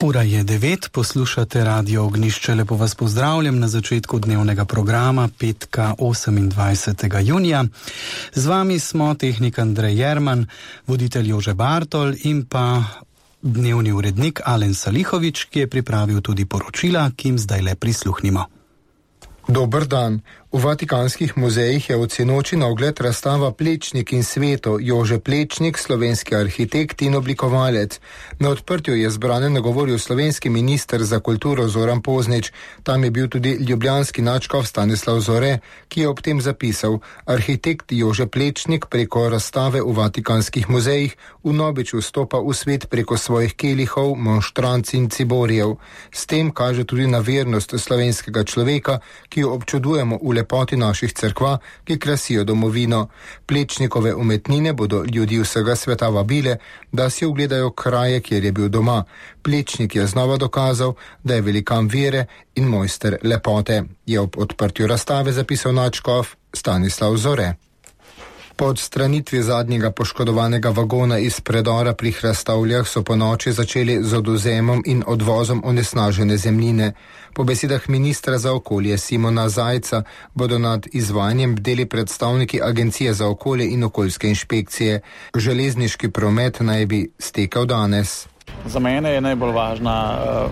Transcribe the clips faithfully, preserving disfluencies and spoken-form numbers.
Ura je devet, poslušate Radio Ognjišče, lepo vas pozdravljam na začetku dnevnega programa petka osemindvajsetega junija. Z vami smo tehnik Andrej Jerman, voditelj Jože Bartol in pa dnevni urednik Alen Salihovič, ki je pripravil tudi poročila, ki jim zdaj le prisluhnimo. Dober dan. V Vatikanskih muzejih je od sinoči na ogled razstava Plečnik in sveto, Jože Plečnik, slovenski arhitekt in oblikovalec. Na odprtju je zbrane nagovoril slovenski minister za kulturo Zoran Poznič. Tam je bil tudi ljubljanski nadškof Stanislav Zore, ki je ob tem zapisal: arhitekt Jože Plečnik preko razstave v Vatikanskih muzejih vnovič vstopa v svet preko svojih kelihov, monštranc in ciborijev. S tem kaže tudi na vernost slovenskega človeka, ki jo občudujemo v lepoti naših cerkva, ki krasijo domovino. Plečnikove umetnine bodo ljudi vsega sveta vabile, da si ogledajo kraje, kjer je bil doma. Plečnik je znova dokazal, da je velikan vere in mojster lepote, je ob odprtju razstave zapisal nadškof Stanislav Zore. Po odstranitvi zadnjega poškodovanega vagona iz predora pri Hrastavljah so po noči začeli z odvzemom in odvozom onesnažene zemljine. Po besedah ministra za okolje Simona Zajca bodo nad izvajanjem bdeli predstavniki Agencije za okolje in okoljske inšpekcije. Železniški promet naj bi stekel danes. Za mene je najbolj važna uh,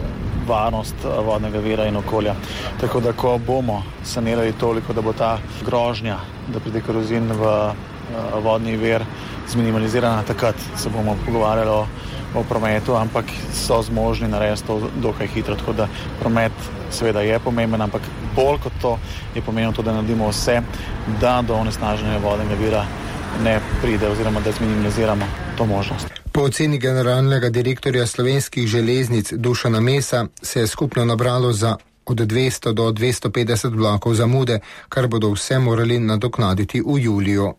varnost uh, vodnega vira in okolja. Tako da, ko bomo sanirali toliko, da bo ta grožnja, da pride korozin v uh, vodni vir zminimalizirana, takrat se bomo pogovarjali o, o prometu, ampak so zmožni narediti to dokaj hitro. Tako da promet seveda je pomemben, ampak bolj kot to je pomembno to, da naredimo vse, da do onesnaženja vodnega vira ne pride oziroma da zminimaliziramo to možnost. Po oceni generalnega direktorja slovenskih železnic Dušana Mesa se je skupno nabralo za od dvesto do dvesto petdeset vlakov zamude, kar bodo vse morali nadoknaditi v juliju.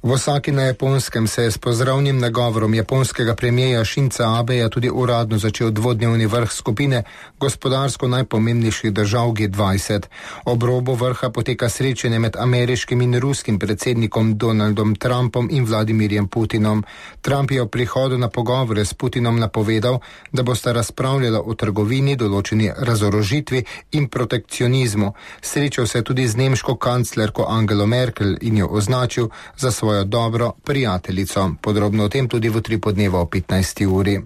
V Osaki na Japonskem se je s pozdravnim nagovorom japonskega premijeja Shinza Abeja tudi uradno začel dvodnevni vrh skupine gospodarsko najpomembnejših držav G dvajset. Ob robu vrha poteka srečanje med ameriškim in ruskim predsednikom Donaldom Trumpom in Vladimirjem Putinom. Trump je o prihodu na pogovore s Putinom napovedal, da bosta razpravljala o trgovini, določeni razorožitvi in protekcionizmu. Srečal se je tudi z nemško kanclerko Angelo Merkel in jo označil za svojo dobro prijateljico. Podrobno o tem tudi v tri podneva o petnajsti uri.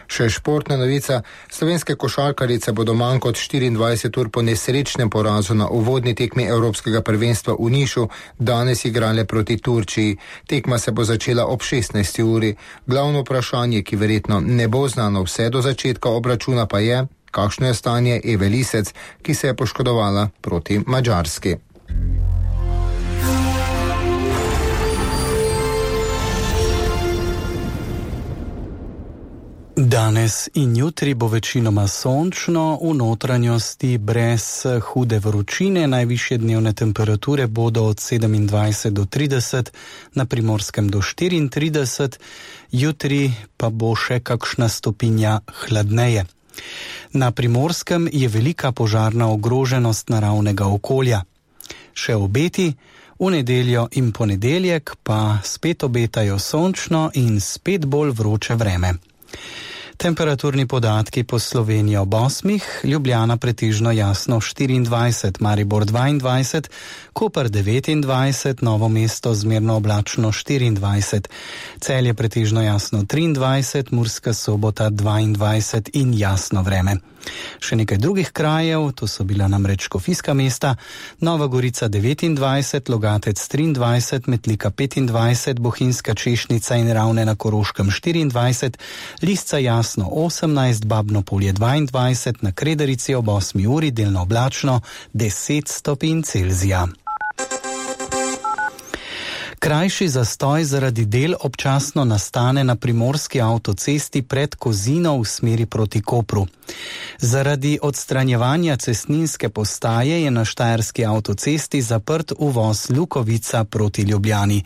Še športna novica. Slovenske košarkarice bodo manj kot štiriindvajset ur po nesrečnem porazu na uvodni tekmi Evropskega prvenstva v Nišu danes igrale proti Turčiji. Tekma se bo začela ob šestnajsti uri. Glavno vprašanje, ki verjetno ne bo znano vse do začetka obračuna, pa je, kakšno je stanje Eve Lisec, ki se je poškodovala proti Madžarski. Danes in jutri bo večinoma sončno, v notranjosti brez hude vročine, najvišje dnevne temperature bodo od sedemindvajset do trideset, na Primorskem do štiriintrideset, jutri pa bo še kakšna stopinja hladneje. Na Primorskem je velika požarna ogroženost naravnega okolja. Še obeti, v nedeljo in ponedeljek pa spet obetajo sončno in spet bolj vroče vreme. Temperaturni podatki po Sloveniji ob osmih, Ljubljana pretežno jasno štiriindvajset, Maribor dvaindvajset, Koper devetindvajset, Novo mesto zmerno oblačno štiriindvajset, Celje pretežno jasno triindvajset, Murska Sobota dvaindvajset in jasno vreme. Še nekaj drugih krajev, to so bila namreč škofijska mesta, Nova Gorica devetindvajset, Logatec triindvajset, Metlika petindvajset, Bohinjska Češnica in Ravne na Koroškem štiriindvajset, Lisca jasno osemnajst, Babno Polje dvaindvajset, na Kredarici ob osmi uri delno oblačno deset stopinj Celzija. Krajši zastoj zaradi del občasno nastane na primorski avtocesti pred Kozino v smeri proti Kopru. Zaradi odstranjevanja cestninske postaje je na štajerski avtocesti zaprt uvoz Lukovica proti Ljubljani.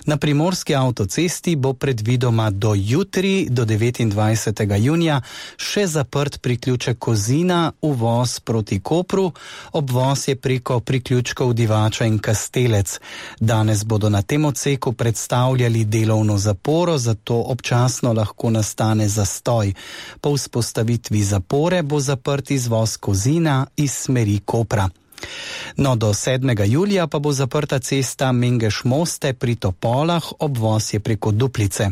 Na primorski avtocesti bo predvidoma do jutri, do devetindvajsetega junija, še zaprt priključek Kozina, uvoz proti Kopru, obvoz je preko priključkov Divača in Kastelec. Danes bodo na tem odseku predstavljali delovno zaporo, zato občasno lahko nastane zastoj. Po vzpostavitvi zapore bo zaprt izvoz Kozina iz smeri Kopra. No, do sedmega julija pa bo zaprta cesta Mengeš-Moste pri Topolah, obvoz je preko Duplice.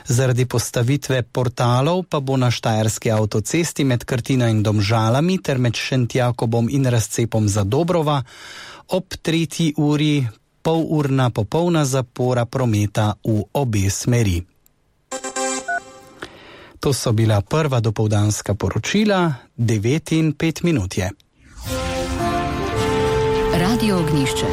Zaradi postavitve portalov pa bo na štajerski avtocesti med Krtino in Domžalami ter med Šentjakobom in razcepom za Dobrova ob tretji uri polurna popolna zapora prometa v obe smeri. To so bila prva dopoldanska poročila, devet in pet minut je. Radio Ognjišče.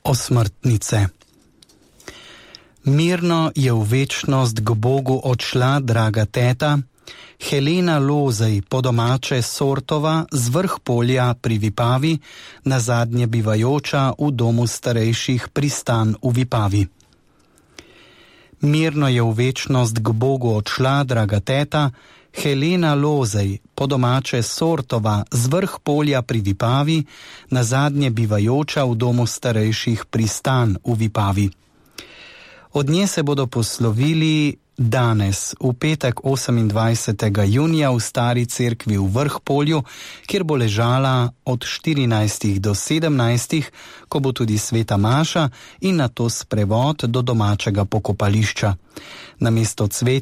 Osmrtnice. Mirno je v večnost k Bogu odšla draga teta, Helena Lozej, po domače Sortova, z vrh polja pri Vipavi, nazadnje bivajoča v domu starejših Pristan v Vipavi. Mirno je v večnost k Bogu odšla draga teta, Helena Lozej, po domače Sortova, z vrh polja pri Vipavi, nazadnje bivajoča v domu starejših Pristan v Vipavi. Od nje se bodo poslovili danes, v petek osemindvajsetega junija v Stari cerkvi v Vrhpolju, kjer bo ležala od štirinajstih do sedemnajstih, ko bo tudi sveta maša in nato sprevod do domačega pokopališča. Namesto cvet